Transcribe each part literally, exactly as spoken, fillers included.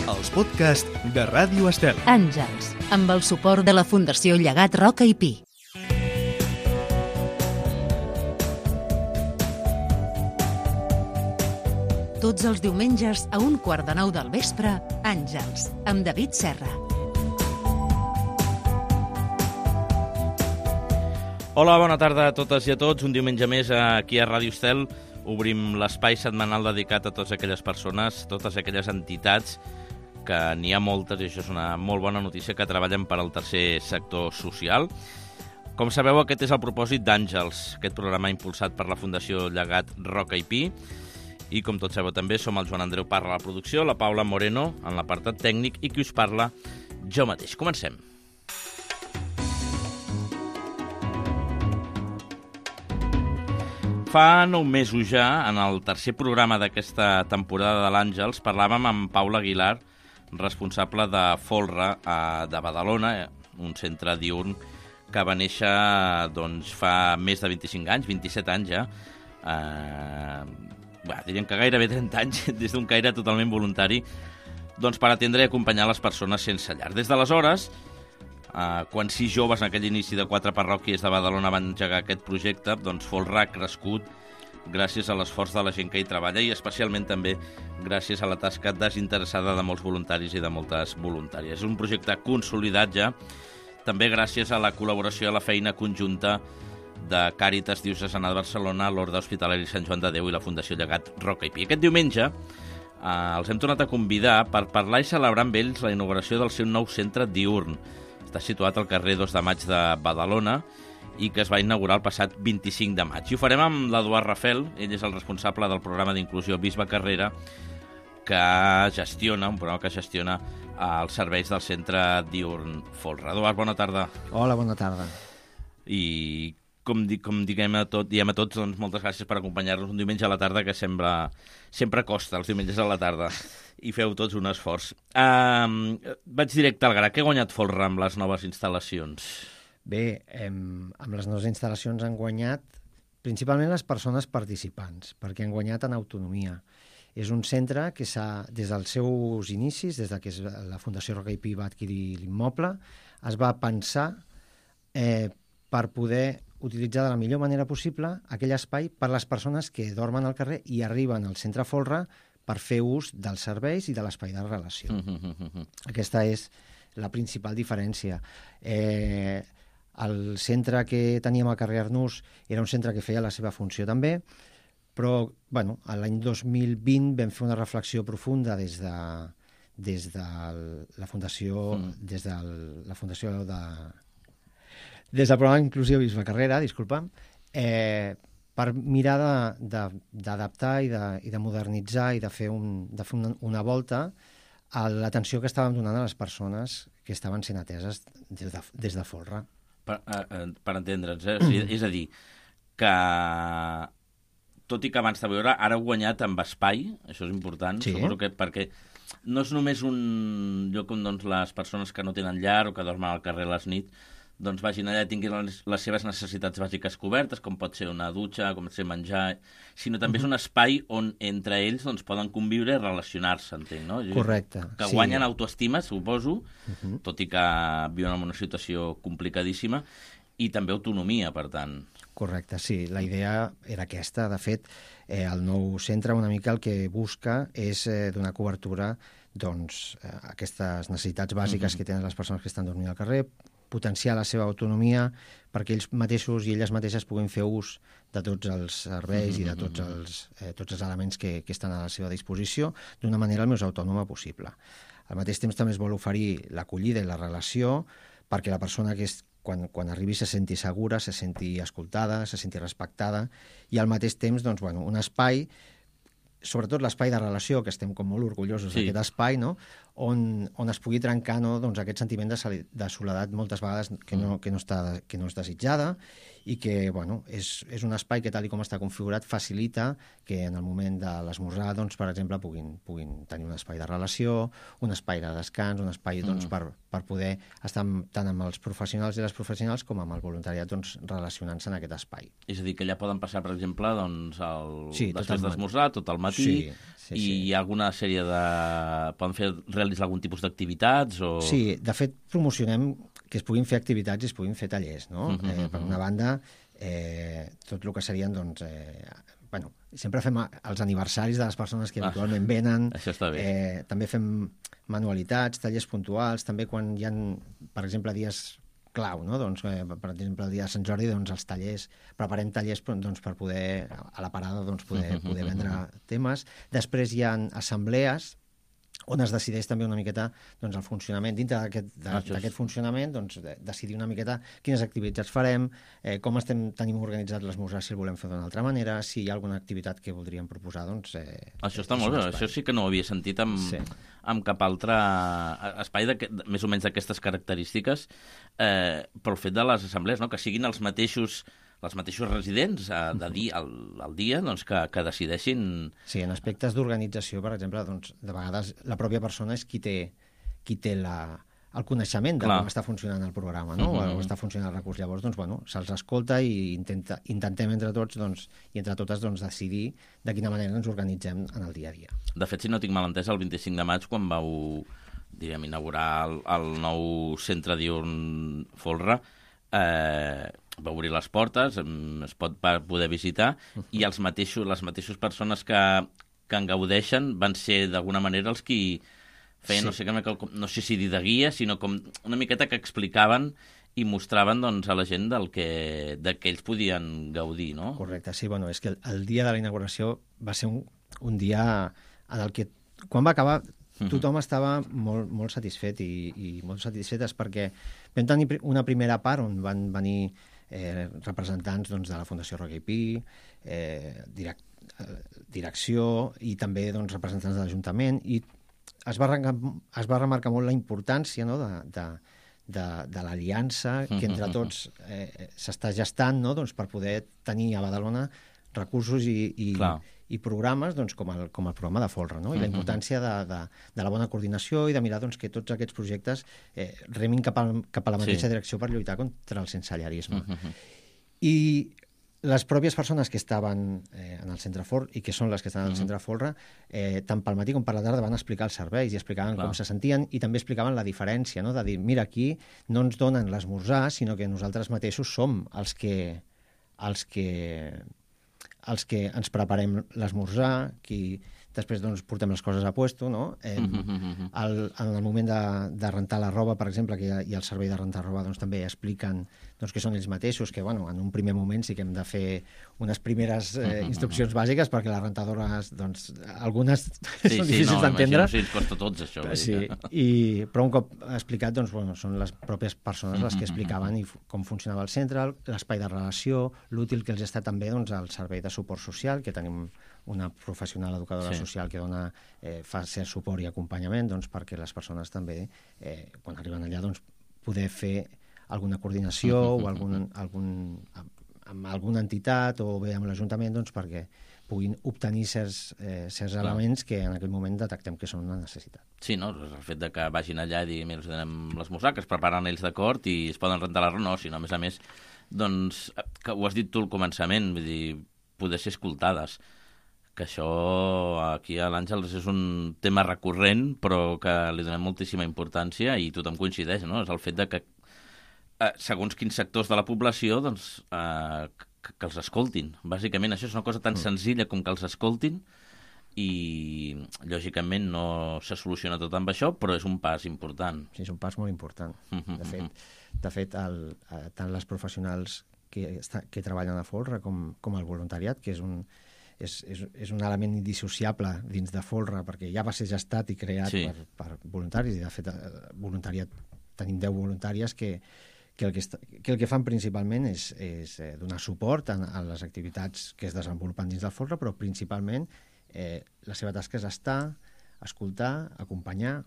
els podcasts de Ràdio Estel. Àngels, amb el suport de la Fundació Llegat Roca i Pi. Tots els diumenges a un quart de nou del vespre, Àngels, amb David Serra. Hola, bona tarda a totes i a tots. Un diumenge més aquí a Ràdio Estel obrim l'espai setmanal dedicat a totes aquelles persones, totes aquelles entitats, que n'hi ha moltes, i això és una molt bona notícia, que treballen per al tercer sector social. Com sabeu, aquest és el propòsit d'Àngels, aquest programa impulsat per la Fundació Llegat Roca i Pi. I com tots sabeu també, som el Joan Andreu Parra a la producció, la Paula Moreno en l'apartat tècnic i qui us parla, jo mateix. Comencem. Fa nou mesos ja, en el tercer programa d'aquesta temporada de l'Àngels, parlàvem amb Paula Aguilar, responsable de Folra, de Badalona, un centre diürn que va néixer doncs, fa més de vint-i-cinc anys, vint-i-set anys ja, eh, Bé, diríem que gairebé trenta anys, des d'un caire totalment voluntari, doncs per atendre i acompanyar les persones sense llar. Des d'aleshores, eh, quan sis joves en aquell inici de quatre parròquies de Badalona van engegar aquest projecte, doncs Folra ha crescut gràcies a l'esforç de la gent que hi treballa i especialment també gràcies a la tasca desinteressada de molts voluntaris i de moltes voluntàries. És un projecte consolidat ja, també gràcies a la col·laboració i a la feina conjunta de Càritas Diocesana de Barcelona, l'Orde Hospitalari Sant Joan de Déu i la Fundació Llegat Roca i Pi. Aquest diumenge eh, els hem tornat a convidar per parlar i celebrar amb ells la inauguració del seu nou centre diürn. Està situat al carrer dos de maig de Badalona i que es va inaugurar el passat vint-i-cinc de maig. I ho farem amb l'Eduard Rafel, ell és el responsable del programa d'inclusió Bisbe Carrera, que gestiona, un programa que gestiona eh, els serveis del centre diürn Folra. Eduard, bona tarda. Hola, bona tarda. I com, di, com diguem a tot, diem a tots, doncs moltes gràcies per acompanyar-nos un diumenge a la tarda, que sembla, sempre costa els diumenges a la tarda, i feu tots un esforç. Uh, vaig directe al gra. Què ha guanyat Folra amb les noves instal·lacions? Bé, hem, amb les noves instal·lacions han guanyat principalment les persones participants, perquè han guanyat en autonomia. És un centre que s'ha, des dels seus inicis, des de que la Fundació Roca i Pi va adquirir l'immoble, es va pensar eh, per poder utilitzar de la millor manera possible aquell espai per les persones que dormen al carrer i arriben al centre Folra per fer ús dels serveis i de l'espai de relació. Mm -hmm. Aquesta és la principal diferència. Eh, el centre que teníem al carrer Arnús era un centre que feia la seva funció també, però bueno, l'any dos mil vint vam fer una reflexió profunda des de, des de la Fundació, mm. des de la Fundació de... des del programa Inclusió Bisbe Carrera, disculpa'm, eh, per mirar d'adaptar i, de, i de modernitzar i de fer, un, de fer una, una volta a l'atenció que estàvem donant a les persones que estaven sent ateses des de, des de Folra. Per, eh, per entendre'ns, eh? O sigui, és a dir, que tot i que abans de veure, ara heu guanyat amb espai, això és important, sí. Suposo que perquè no és només un lloc on doncs, les persones que no tenen llar o que dormen al carrer a les nits doncs vagin allà i tinguin les, les seves necessitats bàsiques cobertes, com pot ser una dutxa, com pot ser menjar, sinó també uh -huh. és un espai on entre ells doncs, poden conviure i relacionar-se, entenc, no? Correcte. Que sí. guanyen autoestima, suposo, uh -huh. tot i que viuen en una situació complicadíssima, i també autonomia, per tant. Correcte, sí. La idea era aquesta. De fet, eh, el nou centre una mica el que busca és eh, donar cobertura doncs, a aquestes necessitats bàsiques uh -huh. que tenen les persones que estan dormint al carrer, potenciar la seva autonomia perquè ells mateixos i elles mateixes puguin fer ús de tots els serveis mm-hmm. i de tots els, eh, tots els elements que, que estan a la seva disposició d'una manera el més autònoma possible. Al mateix temps també es vol oferir l'acollida i la relació perquè la persona que és, quan, quan arribi se senti segura, se senti escoltada, se senti respectada i al mateix temps doncs, bueno, un espai, sobretot l'espai de relació, que estem com molt orgullosos sí. d'aquest espai, no? on, on es pugui trencar no? doncs aquest sentiment de, de soledat moltes vegades que no, que, no està, que no és desitjada i que bueno, és, és un espai que, tal i com està configurat, facilita que en el moment de l'esmorzar, doncs, per exemple, puguin, puguin tenir un espai de relació, un espai de descans, un espai doncs, mm. per, per poder estar tant amb els professionals i les professionals com amb el voluntariat doncs, relacionant-se en aquest espai. És a dir, que allà poden passar, per exemple, doncs, el... sí, després d'esmorzar, tot el matí, sí, sí, i sí. hi ha alguna sèrie de... Poden fer, realitzar algun tipus d'activitats? O... Sí, de fet, promocionem que es puguin fer activitats i es puguin fer tallers, no? Uh-huh, eh, per una banda, eh, tot el que serien, doncs... Eh, bueno, sempre fem els aniversaris de les persones que habitualment ah, venen. Això està bé. Eh, també fem manualitats, tallers puntuals, també quan hi ha, per exemple, dies clau, no? Doncs, eh, per exemple, el dia de Sant Jordi, doncs, els tallers, preparem tallers doncs, per poder, a la parada, doncs, poder, poder vendre temes. Després hi ha assemblees, on es decideix també una miqueta doncs, el funcionament. Dintre d'aquest ah, funcionament, doncs, de, decidir una miqueta quines activitats farem, eh, com estem tenim organitzat l'esmorzar, si el volem fer d'una altra manera, si hi ha alguna activitat que voldríem proposar, doncs... Eh, això està molt bé, això sí que no ho havia sentit amb, sí. amb cap altre espai, de, més o menys d'aquestes característiques, eh, pel fet de les assemblees, no? Que siguin els mateixos... els mateixos residents eh, de dia, al, al dia doncs, que, que decideixin... Sí, en aspectes d'organització, per exemple, doncs, de vegades la pròpia persona és qui té, qui té la, el coneixement de Clar. Com està funcionant el programa, no? Uh-huh. O està funcionant el recurs. Llavors, doncs, bueno, se'ls escolta i intenta, intentem entre tots doncs, i entre totes doncs, decidir de quina manera ens organitzem en el dia a dia. De fet, si no tinc mal entès, el vint-i-cinc de maig, quan vau diríem, inaugurar el, el nou centre diürn Folra, eh, va obrir les portes, es pot poder visitar, i els mateixos, les mateixes persones que, que en gaudeixen van ser d'alguna manera els qui feien, sí. no, sé, no sé si dir de guia, sinó com una miqueta que explicaven i mostraven doncs, a la gent del que, de què ells podien gaudir, no? Correcte, sí, bueno, és que el, el dia de la inauguració va ser un, un dia en el que, quan va acabar, tothom estava molt, molt satisfet i, i molt satisfetes perquè vam tenir una primera part on van venir eh, representants doncs, de la Fundació Roger i Pi, eh, direc, eh, direcció i també doncs, representants de l'Ajuntament, i es va, es va remarcar molt la importància, no?, de, de, de, de l'aliança que entre tots eh, s'està gestant, no?, doncs, per poder tenir a Badalona recursos i, i, i programes doncs, com, el, com el programa de Folra, no? I la importància de, de, de la bona coordinació i de mirar doncs, que tots aquests projectes eh, remin cap a, cap a la mateixa sí. direcció per lluitar contra el sensellarisme. Uh-huh. I les pròpies persones que estaven eh, en el centre Folra i que són les que estan en el centre Folra, eh, tant pel matí com per la tarda van explicar els serveis i explicaven Clar. Com se sentien i també explicaven la diferència, no? De dir, mira, aquí no ens donen l'esmorzar, sinó que nosaltres mateixos som els que els que els que ens preparem l'esmorzar, qui després doncs, portem les coses a puesto, no? Eh, mm-hmm. el, en el moment de, de rentar la roba, per exemple, que hi ha, hi ha el servei de rentar roba, doncs, també expliquen doncs, que són ells mateixos, que bueno, en un primer moment sí que hem de fer unes primeres eh, instruccions bàsiques perquè les rentadores, doncs, algunes sí, són sí, difícils no, d'entendre. Sí, ens costa tots, això. Sí, i, però un cop explicat, doncs, bueno, són les pròpies persones les que explicaven i com funcionava el centre, l'espai de relació, l'útil que els està també doncs, el servei de suport social, que tenim una professional educadora sí. social que dona, eh, fa cert suport i acompanyament doncs, perquè les persones també, eh, quan arriben allà, doncs, poder fer alguna coordinació uh-huh, o algun, algun, amb alguna entitat o bé amb l'Ajuntament doncs, perquè puguin obtenir certs, eh, certs elements que en aquell moment detectem que són una necessitat. Sí, no? El fet de que vagin allà i diguin, mira, us donem l'esmorzar, que es preparen ells d'acord i es poden rentar la roba, no, sinó a més a més, doncs, que ho has dit tu al començament, vull dir, poder ser escoltades, que això aquí a l'Àngels és un tema recurrent, però que li donem moltíssima importància i tothom coincideix, no? És el fet de que eh, segons quins sectors de la població doncs, eh, que, que els escoltin. Bàsicament això és una cosa tan mm. senzilla com que els escoltin i lògicament no se soluciona tot amb això, però és un pas important. Sí, és un pas molt important. De fet, de fet el, eh, tant les professionals que, està, que treballen a Folra com, com el voluntariat, que és un És, és, és un element indissociable dins de Folra, perquè ja va ser gestat i creat sí. per, per voluntaris, i de fet voluntariat, tenim deu voluntàries que, que, el que, està, que el que fan principalment és, és eh, donar suport a, a les activitats que es desenvolupen dins del Folra, però principalment eh, la seva tasca és estar, escoltar, acompanyar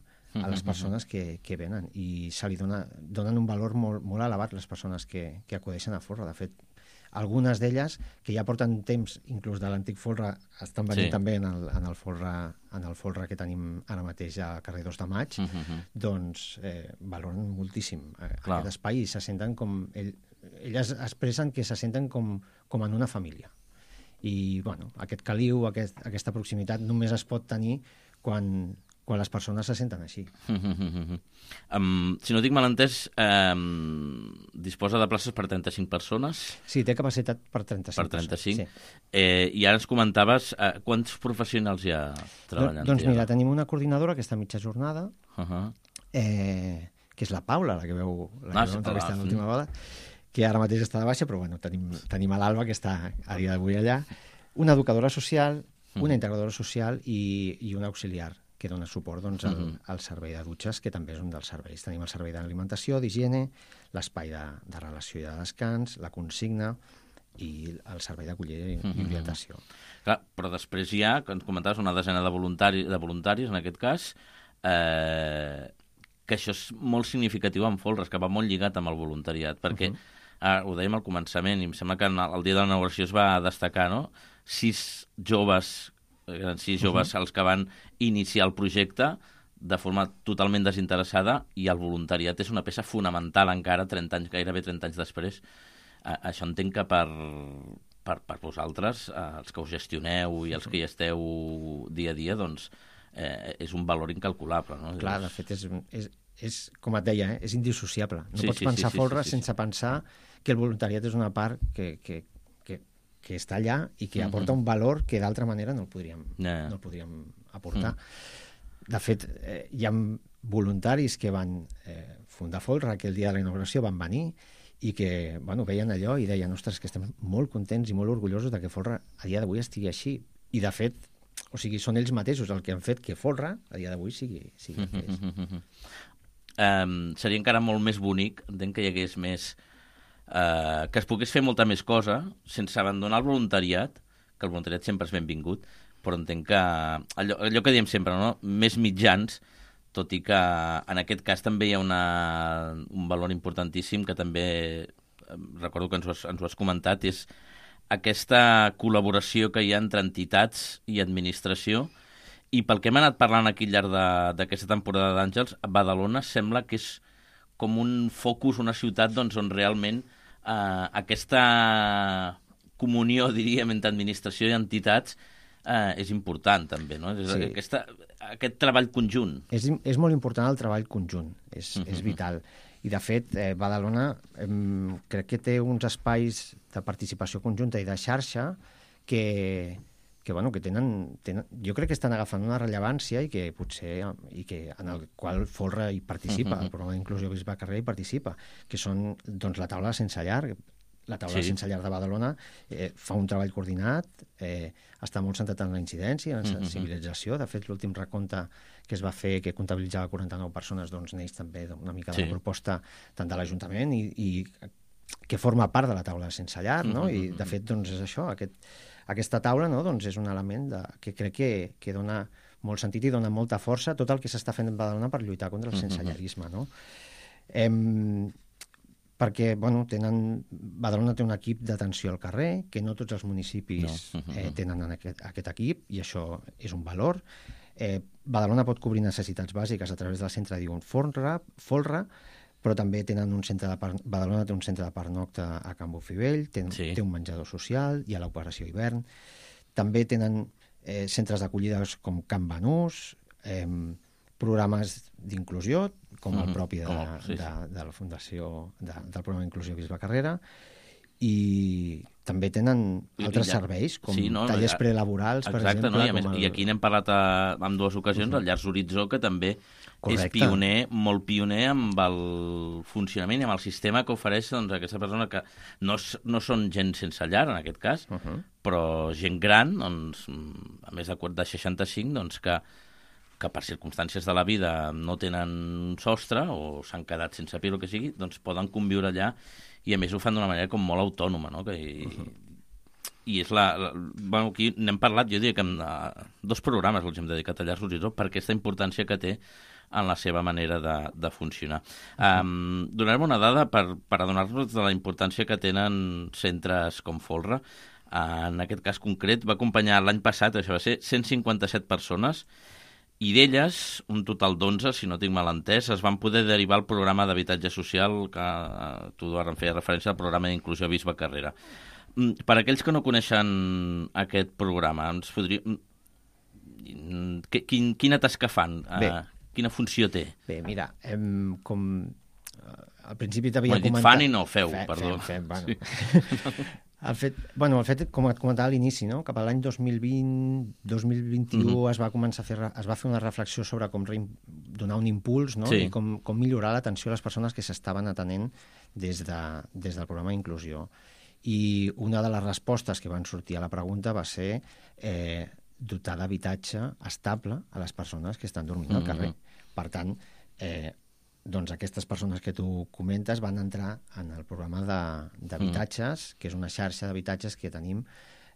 a les persones que, que venen, i se li dona, donen un valor molt, molt elevat les persones que, que acudeixen a Folra. De fet, algunes d'elles, que ja porten temps, inclús de l'antic folre, estan venint Sí. també en el, en, el folre, en el folre que tenim ara mateix a carrer dos de Maig, Uh -huh. doncs eh, valoren moltíssim eh, Clar. aquest espai i se senten com... Ell, elles expressen que se senten com, com en una família. I, bueno, aquest caliu, aquest, aquesta proximitat només es pot tenir quan, quan les persones se senten així. Uh -huh. um, si no dic mal entès, um, disposa de places per trenta-cinc persones? Sí, té capacitat per trenta-cinc. Per trenta-cinc. persones, sí. Eh, I ara ens comentaves uh, quants professionals hi ha treballant? Doncs mira, tenim una coordinadora que està a mitja jornada, Uh -huh. eh, que és la Paula, la que veu la que Ah, veu sí, entrevistar clar, l'última sí. vegada, que ara mateix està de baixa, però bueno, tenim, tenim a l'Alba, que està a dia d'avui allà, una educadora social, una integradora social i, i un auxiliar que dona suport doncs, al, Mhm. al servei de dutxes, que també és un dels serveis. Tenim el servei d'alimentació, d'higiene, l'espai de, de relació i de descans, la consigna i el servei d'acollida i, i orientació. Clar, però després hi ha, que ens comentaves, una desena de voluntaris, de voluntaris en aquest cas, eh, que això és molt significatiu en Folres, que va molt lligat amb el voluntariat, perquè, uh -huh. ah, ho dèiem al començament, i em sembla que en el, el dia de l'inauguració es va destacar, no?, sis joves, eren sis joves uh -huh. els que van iniciar el projecte de forma totalment desinteressada, i el voluntariat és una peça fonamental encara, trenta anys, gairebé trenta anys després. A, això entenc que per, per, per vosaltres, eh, els que us gestioneu i els que hi esteu dia a dia, doncs eh, és un valor incalculable, no? Clar, de fet, és, és, és com et deia, eh? és indissociable. No Sí, pots sí, pensar sí, sí, Folres sí, sí. sense pensar que el voluntariat és una part que, que, que, que està allà i que Mhm. aporta un valor que d'altra manera no el podríem, Ja, ja. no el podríem aportar. De fet, eh, hi ha voluntaris que van eh, fundar Folre, que el dia de la inauguració van venir i que bueno, veien allò i deien, ostres, que estem molt contents i molt orgullosos de que Folre a dia d'avui estigui així. I, de fet, o sigui, són ells mateixos el que han fet que Folre a dia d'avui sigui, sigui el que és. Um, seria encara molt més bonic, entenc que hi hagués més... Uh, que es pogués fer molta més cosa sense abandonar el voluntariat, que el voluntariat sempre és benvingut, però entenc que allò, allò que diem sempre, no? Més mitjans, tot i que en aquest cas també hi ha una, un valor importantíssim que també, recordo que ens ho has, ens ho has comentat, és aquesta col·laboració que hi ha entre entitats i administració. I pel que hem anat parlant aquí al llarg d'aquesta temporada d'Àngels, Badalona sembla que és com un focus, una ciutat doncs, on realment eh, aquesta comunió, diríem, entre administració i entitats eh, és important també, no? És, Sí. aquesta, aquest treball conjunt. És, és molt important el treball conjunt, és, uh -huh. és vital. I, de fet, eh, Badalona eh, crec que té uns espais de participació conjunta i de xarxa que, que, bueno, que tenen, tenen... Jo crec que estan agafant una rellevància i que potser... i que en el qual Folre hi participa, uh -huh. el programa d'inclusió Bisbe Carrer hi participa, que són doncs, la taula sense llar. La taula Sí. sense llar de Badalona eh, fa un treball coordinat, eh, està molt centrat en la incidència, en la sensibilització. De fet, l'últim recompte que es va fer, que comptabilitzava quaranta-nou persones, doncs neix també una mica de Sí. la proposta tant de l'Ajuntament i, i que forma part de la taula sense llar, no? I, de fet, doncs és això, aquest, aquesta taula, no? Doncs és un element de, que crec que, que dona molt sentit i dona molta força a tot el que s'està fent en Badalona per lluitar contra el sensellarisme, no? Em, perquè, bueno, tenen... Badalona té un equip d'atenció al carrer, que no tots els municipis No. eh, tenen en aquest, aquest equip, i això és un valor. Eh, Badalona pot cobrir necessitats bàsiques a través del centre Diun Folra, Folra, però també tenen un centre de per... Badalona té un centre de pernocte a Can Bofivell, té, Sí. té un menjador social, hi ha l'operació hivern, també tenen eh, centres d'acollida com Can Banús, eh, programes d'inclusió, com el Mhm, propi de, com el- sí, sí. de, de la Fundació de, del programa d'inclusió Bisbe Carrera, i també tenen I- altres i llar- serveis, com sí, no, tallers a- prelaborals, per Exacte, exemple. no? I, a més, com el... i aquí n'hem parlat a, en dues ocasions, el Llars Horitzó, que també Correcte. és pioner, molt pioner amb el funcionament i amb el sistema que ofereix doncs, aquesta persona que no, s- no són gent sense llar, en aquest cas, Uh -huh. però gent gran, doncs, a més de, de seixanta-cinc, doncs, que, que per circumstàncies de la vida no tenen sostre o s'han quedat sense pir o que sigui, doncs poden conviure allà i a més ho fan d'una manera com molt autònoma, no? Que, i, uh-huh. i és la, la... Bueno, aquí n'hem parlat, jo diria que en uh, dos programes els hem dedicat a Llars Horitzó per aquesta importància que té en la seva manera de, de funcionar. Um, donarem una dada per, per adonar-nos de la importància que tenen centres com Folra. Uh, en aquest cas concret va acompanyar l'any passat, això va ser cent cinquanta-set persones, i d'elles, un total d'onze, si no tinc mal entès, es van poder derivar al programa d'habitatge social, que uh, tu, Eduard, em feia referència al programa d'inclusió Bisbe Carrera. Mm, per aquells que no coneixen aquest programa, ens podria... Mm, quin, quina tasca fan? Uh, quina funció té? Bé, mira, hem, com... Al principi t'havia bueno, comentat... Fan i no feu, Fe, perdó. Fem, fem, bueno. Sí. El fet, bueno, el fet, com et comentava a l'inici, no? Cap a l'any dos mil vint, dos mil vint-i-u mm-hmm. es va començar a fer, es va fer una reflexió sobre com re, donar un impuls, no? Sí. I com, com millorar l'atenció a les persones que s'estaven atenent des, de, des del programa d'inclusió. I una de les respostes que van sortir a la pregunta va ser eh, dotar d'habitatge estable a les persones que estan dormint mm-hmm. al carrer. Per tant, eh, doncs aquestes persones que tu comentes van entrar en el programa d'habitatges, mm. que és una xarxa d'habitatges que tenim,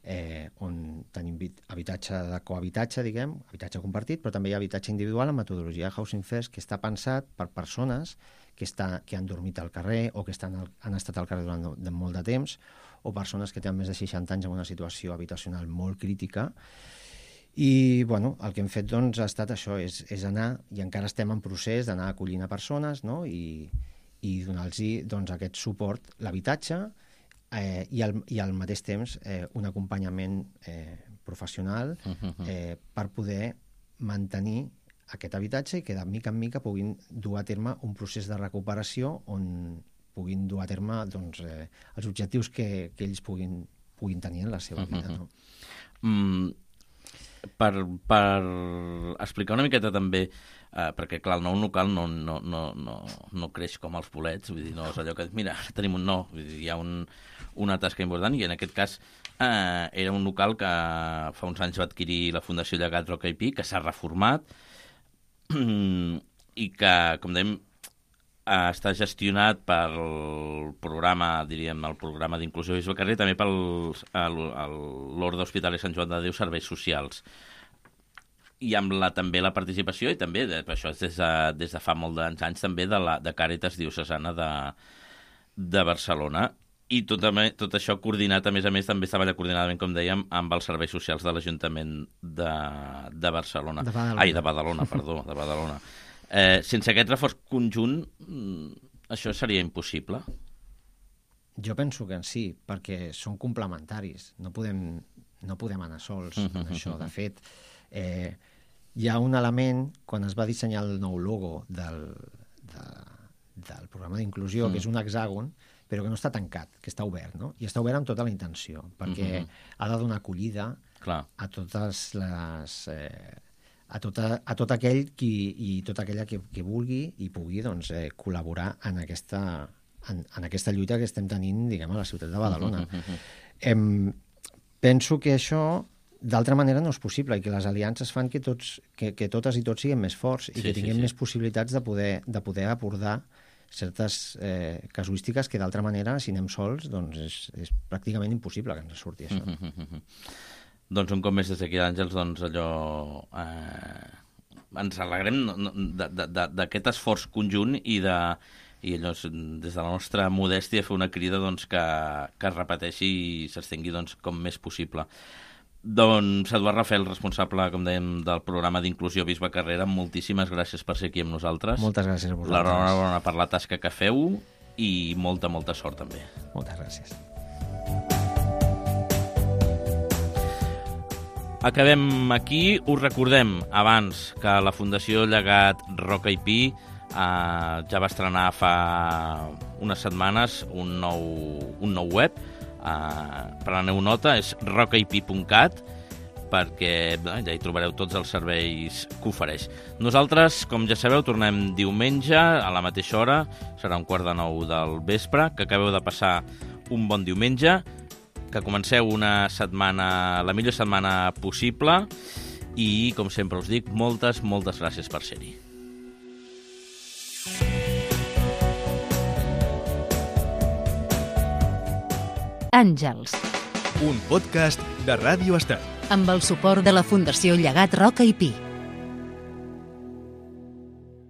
eh, on tenim habitatge de cohabitatge, diguem, habitatge compartit, però també hi ha habitatge individual en metodologia Housing First, que està pensat per persones que, està, que han dormit al carrer o que estan al, han estat al carrer durant de molt de temps, o persones que tenen més de seixanta anys en una situació habitacional molt crítica. I bueno, el que hem fet doncs, ha estat això, és, és anar, i encara estem en procés d'anar acollint a persones, no? I, i donar-los doncs, aquest suport, l'habitatge, eh, i, al, i al mateix temps eh, un acompanyament eh, professional eh, per poder mantenir aquest habitatge i que de mica en mica puguin dur a terme un procés de recuperació on puguin dur a terme doncs, eh, els objectius que, que ells puguin, puguin tenir en la seva vida. No? Mm. Per, per explicar una miqueta també, eh, perquè clar, el nou local no, no, no, no, no creix com els bolets, vull dir, no és allò que, mira, tenim un no, vull dir, hi ha un, una tasca important, i en aquest cas eh, era un local que fa uns anys va adquirir la Fundació Llegat Roca i Pi, que s'ha reformat i que, com dèiem, Uh, està gestionat pel programa, diríem, el programa d'inclusió Bisbe Carrer, també per l'Orde Hospitalari Sant Joan de Déu Serveis Socials. I amb la, també la participació, i també, de, això és des de, des de fa molt d'anys, també de, la, de Càritas Diocesana de, de Barcelona. I tot, tot això coordinat, a més a més, també estava coordinadament, com dèiem, amb els serveis socials de l'Ajuntament de, de Barcelona. De Badalona. Ai, de Badalona, perdó, de Badalona. Eh, sense aquest reforç conjunt, això seria impossible? Jo penso que sí, perquè són complementaris. No podem, no podem anar sols en això. De fet, eh, hi ha un element, quan es va dissenyar el nou logo del, de, del programa d'inclusió, mm. que és un hexàgon, però que no està tancat, que està obert, no? I està obert amb tota la intenció, perquè mm-hmm. ha de donar acollida Clar. a totes les... Eh, a, tota, a tot aquell qui, i tota aquella que, que vulgui i pugui doncs, eh, col·laborar en aquesta, en, en aquesta lluita que estem tenint, diguem, a la ciutat de Badalona. Uh -huh. em, penso que això, d'altra manera, no és possible, i que les aliances fan que, tots, que, que totes i tots siguem més forts i sí, que tinguem sí, sí. més possibilitats de poder, de poder abordar certes eh, casuístiques que, d'altra manera, si anem sols, doncs és, és pràcticament impossible que ens surti això. Uh -huh. Doncs un cop més des d'aquí d'Àngels, doncs allò... Eh, ens alegrem d'aquest esforç conjunt i, de, i allò, des de la nostra modèstia, fer una crida doncs, que, que es repeteixi i s'estengui doncs, com més possible. Doncs Eduard Rafel, responsable, com dèiem, del programa d'inclusió Bisbe Carrera, moltíssimes gràcies per ser aquí amb nosaltres. Moltes gràcies a vosaltres. L'enhorabona per la tasca que feu i molta, molta sort també. Moltes gràcies. Acabem aquí. Us recordem abans que la Fundació Llegat Roca i Pi eh, ja va estrenar fa unes setmanes un nou, un nou web. Eh, preneu nota, és roca i pi punt cat, perquè eh, ja hi trobareu tots els serveis que ofereix. Nosaltres, com ja sabeu, tornem diumenge a la mateixa hora, serà un quart de nou del vespre, que acabeu de passar un bon diumenge, que comenceu una setmana, la millor setmana possible, i, com sempre us dic, moltes, moltes gràcies per ser-hi. Àngels. Un podcast de Ràdio Estel. Amb el suport de la Fundació Llegat Roca i Pi.